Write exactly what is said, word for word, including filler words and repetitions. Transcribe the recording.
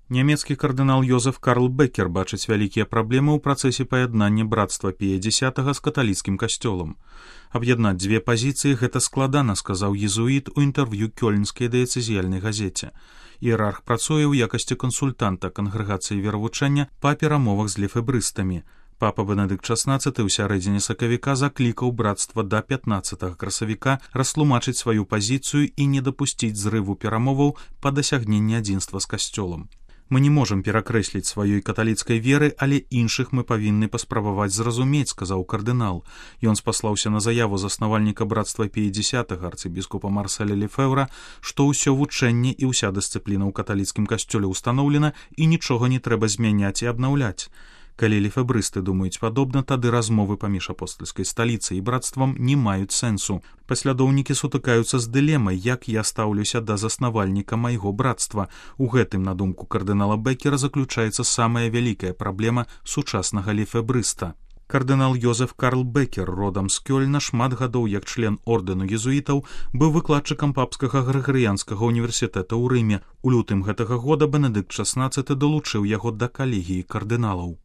Нямецкі кардынал Йозеф Карл Бекер бачыць вялікія праблемы ў працэсе паяднання брацтва Пія Дзясятага з каталіцкім касцёлам. Аб'яднаць дзве пазіцыі гэта складана, сказаў езуіт у інтэрв'ю кёльнскай дыяцэзіяльнай газеце. Іерарх працуе ў якасці кансультанта кангрэгацыі веравучэння па перамовах з лефэбрыстамі. Папа Бенедыкт шаснаццаты ў сярэдзіне сакавіка заклікаў брацтва да пятнаццатага красавіка растлумачыць сваю пазіцыю і не дапусціць зрыву перамоваў па дасягненні адзінства з касцёлам. Мы не можам перакрэсліць сваёй каталіцкай веры, але іншых мы павінны паспрабаваць зразумець, сказаў кардынал. Ён спаслаўся на заяву заснавальніка брацтва Пія Дзясятага арцыбіскупа Марселя Лефэўра, што ўсё вучэнне і ўся дысцыпліна ў каталіцкім касцёле ўстаноўлена і нічога не трэба змяняць і абнаўляць. Калі лефэбрысты думаюць падобна, тады размовы паміж апостальскай сталіцай і брацтвам не маюць сэнсу. Паслядоўнікі сутыкаюцца з дылемай, як я стаўлюся да заснавальніка майго брацтва. У гэтым, на думку кардынала Бекера, заключаецца самая вялікая праблема сучаснага лефэбрыста. Кардынал Йозеф Карл Бекер, родам з Кёльна, шмат гадоў як член ордэну езуітаў, быў выкладчыкам папскага грыгарыянскага універсітэта ў Рыме. У лютым гэтага года Бенедыкт шаснаццаты далучыў яго да калегіі кардыналаў.